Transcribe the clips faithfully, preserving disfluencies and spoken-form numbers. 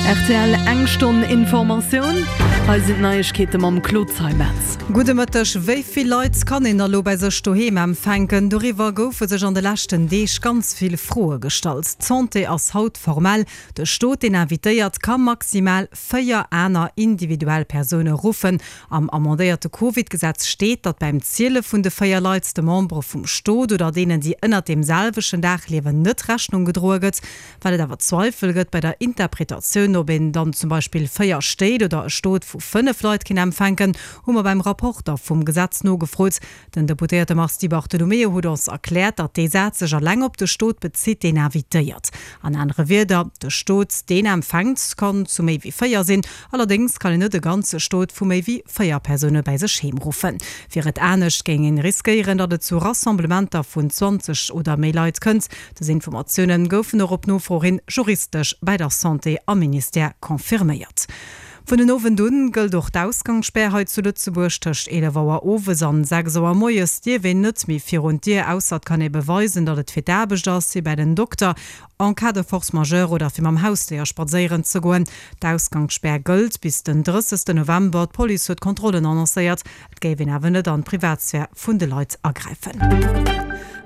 Rtl, Eng Stonn Informatioun, hei sinn d'Neiegkeete mam Claude Zeimetz. Gudde Mëtteg. Wéi vill Leit kann een da lo bei sech doheem empfänken? Doriwwer goufe sech an de leschten Deeg ganz vill Froe gestallt. D'Santé ass haut formell, De Stot, deen invitéiert, ka maximal véier aner individuell Persoune ruffen. Am amendéierte Covid-Gesetz steet, datt beim Ziele vun de véier Leit de Membere vum Stot oder deenen, déi ënnert deem selwechten Daach liewen, net Rechnung gedroe gëtt. Well et awer Zweifel gëtt bei der Interpretatioun, ob een dann zum Beispill véier Stéit oder e Stot vu fënnef Leit kinnt empfänken, hu mer beim Rapporter vum Gesetz nogefrot. Den Deputéierte Mars Di Bartolomeo huet ons erkläert, datt dee Saz sech alleng op de Stot bezitt, deen invitéiert. An anere Wierder, de Stot, deen empfänkt, kann zu méi wéi véier sinn. Allerdéngs kann een net e ganze Stot vu méi wéi véier Persoune bäi sech heem ruffen. Wier et anescht, géing een riskéieren, datt et zu Rassemblementer vun zwanzeg oder méi Leit kënnt. Dës Informatioune goufen och op Nofro hin juristesch bei der Santé am Ministère confirméiert. Vun den Owend un gëllt och d'Ausgangsspär hei zu Lëtzebuerg. Tëscht eelef Auer owes an sechs Auer moies dierf een net méi virun d'Dier, ausser et kann ee beweisen, datt et fir d'Aarbecht ass, fir bei den Dokter, en cas de force majeure oder fir mam Hausdéier spadséieren ze goen. D'Ausgangsspär gëllt bis den drëssegsten November. D'Police huet Kontrollen annoncéiert, et géif een awer net an d'Privatsphär vun de Leit agräifen.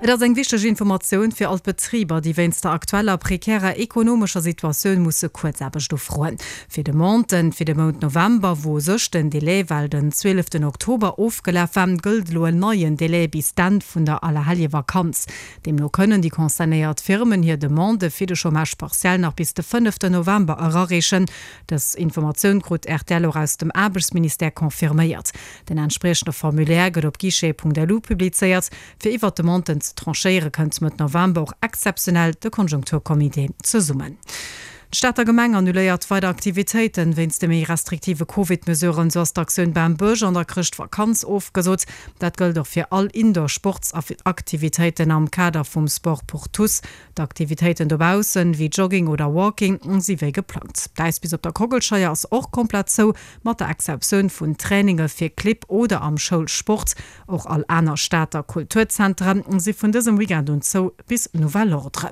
Et ass eng wichteg Informatioun fir all d'Betriber, déi wéinst der aktueller prekärer ekonomescher Situatioun musse Kuerzaarbecht ufroen. Fir Demanden fir de Mount November, wou u sech den Delai well den zwieleften Oktober ofgelaf war, gëllt elo en neien Delai bis d'Enn vun der Allerhelljevakanz. Deemno kënnen déi concernéiert Firmen hir Demande fir de Chômage partiel nach bis de fënneften November erareechen. Dës Informatioun krut rtl och aus dem Aarbechtsministère confirméiert. Den entspriechende Formulaire gëtt op guichet.lu publizéiert. Fir iwwert d'Demanden ze tranchéiere kënnt Mëtt November och exzeptionell de Konjunkturcomité zesummen. D'Stater Gemeng annuléiert weider Aktivitéiten wéinst de méi restriktive Covid-Mesuren. Sou ass d'Aktioun Bam Bësch an der Chrëschtvakanz ofgesot. Dat gëllt och fir all Indoor-Sportsaktivitéiten am Kader vum Sport pour tous. D'Aktivitéiten dobaussen, wéi Jogging oder Walking, si wéi geplangt. D'Äispist op der Kockelscheier ass och komplett zou, mat der Exceptioun vun Traininge fir Clibb oder am Schoulsport. Och all aner Stater Kulturzentere si vun dësem Weekend un zou, bis nouvel ordre.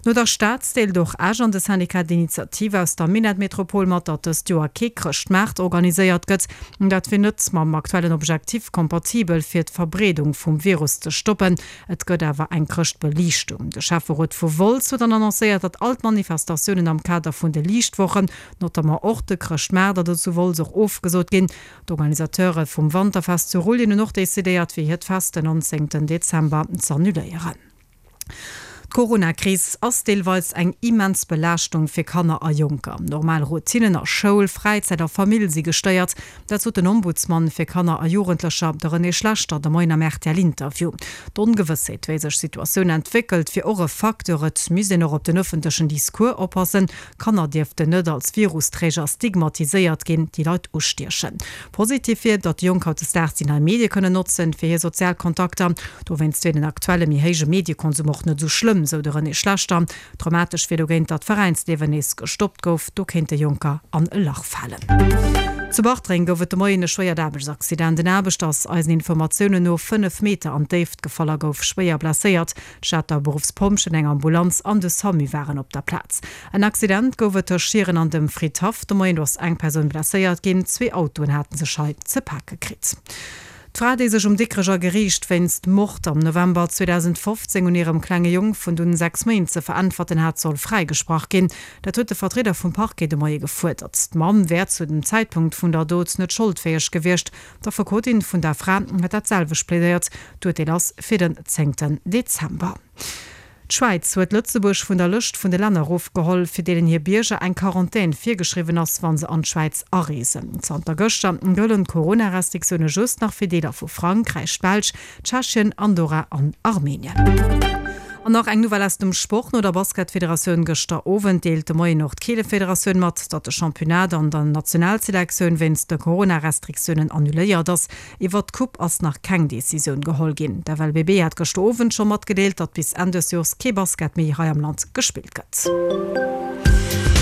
No der Stad deelt och Esch an de Syndicat d'initiative aus der Minettmetropol mat, datt dëst Joer kee Chrëschtmaart organiséiert gëtt. Dat wier net mam aktuellen Objektiv kompatibel, fir d'Verbreedung vum Virus ze stoppen. Et gëtt awer eng Chrëschtbeliichtung. De Schäfferot vu Wolz huet dann annoncéiert, datt all d'Manifestatiounen am Kader vun de Liichtwochen, notamment och de Chrëschtmaart, also zu Wolz, och ofgesot ginn. D'Organisateure vum Wanterfest zu Rulljen hunn och decidéiert, fir hiert Fest den nonzéngten Dezember z'annuléieren. D'Corona-Kris ass deelweis eng immens Belaaschtung fir Kanner a Jonker. Normal Routinnen a Schoul, Fräizäit a Famill si gestéiert. Dat sot den Ombudsman fir Kanner a Jugendlecher, de René Schlechter, de Moien am RTL-Interview. D'Ongewëssheet, wéi sech d'Situatioun entwéckelt, wier och e Facteur. Et misst een och op den ëffentlechen Discours oppassen. Kanner dierften net als Virusträger stigmatiséiert ginn, déi Leit ustiechen. Positiv wier, datt déi Jonk hautdesdaags déi nei Medie kënnen notzen, fir hir sozial Kontakter. Dowéinst wier den aktuelle méi héije Mediekonsum och net esou schlëmm, sou de René Schlechter. Dramatesch wier dogéint, datt d'Veräinsliewen nees gestoppt gouf. Do kéinte Jonker an e Lach falen. Zu Bartreng gouf et de Moien e schwéiert Aarbechtsaccident. En Aarbechter ass eisen Informatiounen no fënnef Meter an d'Déift gefall a gouf schwéier blesséiert. D'Stater Beruffspompjeeën, eng Ambulanz an de Samu waren op der Plaz. En Accident gouf et tëscht Schieren an dem Fridhaff de Moien. Do ass eng Persoun blesséiert ginn. Zwee Autoen hate sech hei ze pake kritt. D'Fra, déi sech um Dikrecher Geriicht wéinst Mord am November zweedausendfofzéng un hirem klenge Jong vun dunn sechs Méint ze veräntwerten hat, soll fräigesprach ginn. Dat huet de Vertrieder vum Parquet de Moie gefuerdert. D'Mamm wär zu dem Zäitpunkt vun der Dot net scholdfäeg gewiescht. D'Affekotin vun der Fra huet dat selwecht plädéiert. D'Urteel ass fir den zéngten Dezember. D'Schwäiz huet Lëtzebuerg vun der Lëscht vun de Länner erofgeholl, fir deenen hir Bierger eng Quarantän virgeschriwwen ass, wa se an d'Schwäiz areesen. Zanter gëschter gëllen d'Corona-Restriktioune just nach fir Deeler vu Frankräich, d'Belsch, Tschechien, Andorra an Armenien. An nach eng Nouvelle aus dem Sport, No der Basketfederatioun gëschter Owend deelt de Moien och d'Keelefederatioun mat, datt de Championnat an der Nationalselektioun wéinst de Corona-Restriktiounen annuléiert ass. Iwwert d'Coupe ass nach keng Decisioun geholl ginn. D'F L B B hat gëschter Owend scho matgedeelt, datt bis Enn dës Joers kee Basket méi hei am Land gespillt gëtt.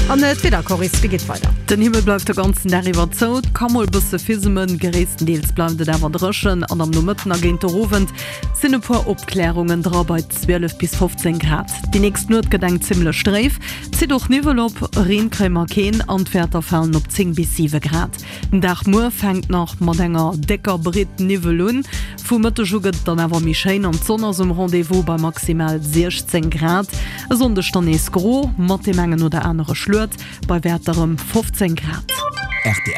An d'Wieder, Coris, wéi geet weider? Den Himmel bleift de ganzen Dag iwwer zou, et ka mol bësse fismen, gréisstendeels bleift et awer dréchen an am Nomëtten a géint de Owend sinn e puer Opklärungen dra bei zwielef bis fofzéng Grad. Déi nächst Nuet gëtt eng zimmlech dréif, zitt och Niwwel op, Reen kréie mer keen an d'Wäerter falen op zéng bis siwe Grad. Den Dag muer fänkt nach mat enger décker Britt Niwwel un, vu Mëtteg u gëtt et dann awer méi schéin an d'Sonn ass um Rendez-vous bei maximal siechzéng Grad. E Sonndeg dann nees gro mat deem engen oder anere Schluet, bei Wäerter ëm fofzéng Grad. Rtl.